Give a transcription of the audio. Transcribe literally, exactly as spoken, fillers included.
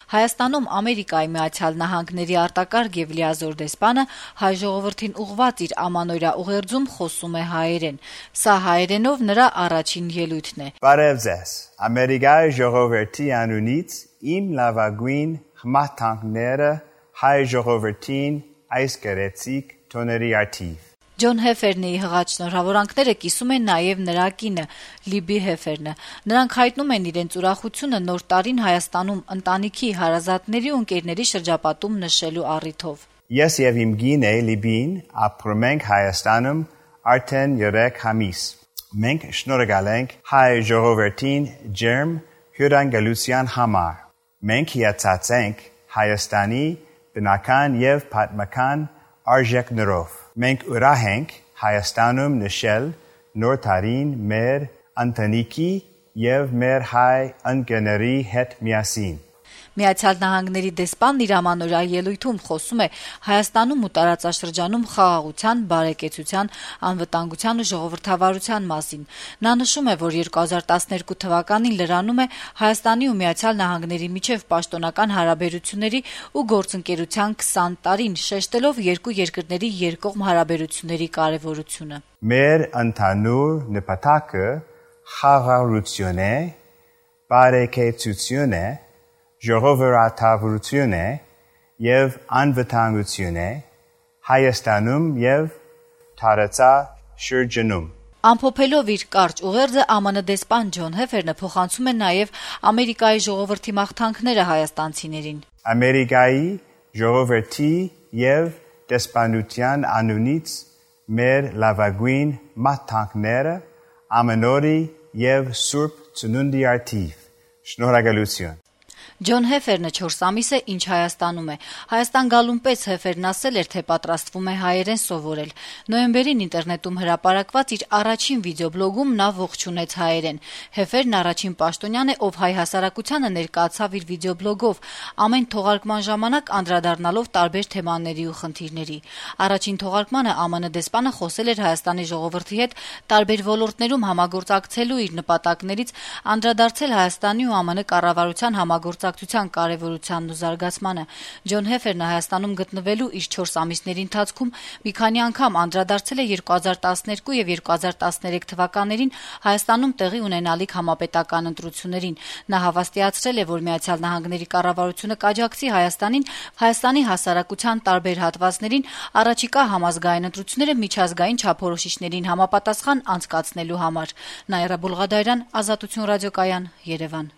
Հայաստանում Ամերիկայի Միացյալ Նահանգների արտակարգ եւ լիազոր դեսպանը հայ ժողովրդին ուղղված իր ամանորյա ուղերձում խոսում է հայերեն։ Սա հայերենով նրա առաջին ելույթն է։ Բարև ձեզ, Ամերիկայի ժողովրդի անունից իմ լավագույն խմախտանքները հայ ժողովրդին այս գեղեցիկ տոների արդիվ։ Ջոն Հեֆերնի հղած շնորհավորանքները կիսում են նաև նրա կինը՝ Լիբի Հեֆերնը։ Նրանք հայտնում են իրենց ուրախությունը Նոր տարին Հայաստանում ընտանիքի, հարազատների ու ընկերների շրջապատում նշելու առիթով։ Ես եւ իմ կինը Լիբին ապրում ենք Հայաստանում արդեն երեք ամիս։ Մենք շնորհակալ ենք հայ ժողովրդին ջերմ հյուրընկալության համար։ Մենք հիացած ենք Հայաստանի բնական եւ պատմական արժեքներով։ Մենք ուրախ ենք Հայաստանում նշել Նոր տարին մեր ընտանիքի եւ մեր հայ ընկերների հետ միասին։ Միացյալ Նահանգների դեսպանն իր ամանորյա ելույթում խոսում է Հայաստանում ու տարածաշրջանում խաղաղության, բարեկեցության, անվտանգության ու ժողովրդավարության մասին։ Նա նշում է, որ երկու հազար տասներկու թվականին լրանում է Հայաստանի ու Միացյալ Նահանգների միջև պաշտոնական հարաբերությունների ու գործընկերության քսան տարին, շեշտելով երկու երկրների երկկողմ հարաբերությունների կարևորությունը։ Մեր ընդհանուր նպատակը խաղաղություն է, բարեկեցություն է, ժողովրդավարություն է եւ անվտանգություն է Հայաստանում եւ տարածաշրջանում։ Ամփոփելով իր կարճ ուղերձը ԱՄՆ դեսպան Ջոն Հեֆերնը փոխանցում է նաեւ Ամերիկայի ժողովրդի մաղթանքները հայաստանցիներին։ Ամերիկայի ժողովրդի եւ դեսպանության անունից մեր լավագույն մաղթանքները ամենօրի եւ Սուրբ Ծնունդի արդիվ։ Շնորհակալություն։ Ջոն Հեֆերնը չորս ամիս է, ինչ Հայաստանում է։ Հայաստան գալուն պես Հեֆերն ասել էր, թե պատրաստվում է հայերեն սովորել։ Նոյեմբերին ինտերնետում հրապարակված իր առաջին վիդեոբլոգում նա ողջունեց հայերեն։ Հեֆերն առաջին պաշտոնյան է, ով հայ հասարակությանը ներկայացավ իր վիդեոբլոգով, ամեն թողարկման ժամանակ անդրադառնալով տարբեր թեմաների ու խնդիրների։ Առաջին թողարկմանը ԱՄՆ դեսպանը խոսել էր Հայաստանի ժողովրդի հետ տարբեր ոլորտներում համագործակցելու իր նպատակներից, անդրադարձել Հայաստանի ու ԱՄՆ կառավարության համագործակցության կարևորությանն ու զարգացմանը։ Ջոն Հեֆերնը Հայաստանում գտնվելու իր չորս ամիսների ընթացքում մի քանի անգամ անդրադարձել է երկու հազար տասներկու եւ երկու հազար տասներեք թվականներին Հայաստանում տեղի ունենալիք համապետական ընտրություններին։ Նա հավաստիացրել է, որ Միացյալ Նահանգների կառավարությունը կաջակցի Հայաստանին Հայաստանի հասարակության տարբեր հատվածներին առաջիկա համազգային ընտրությունները միջազգային չափորոշիչներին համապատասխան անցկացնելու համար։ Նաիրա Բուլղադարյան, Ազատություն ռադիոկայան, Երևան։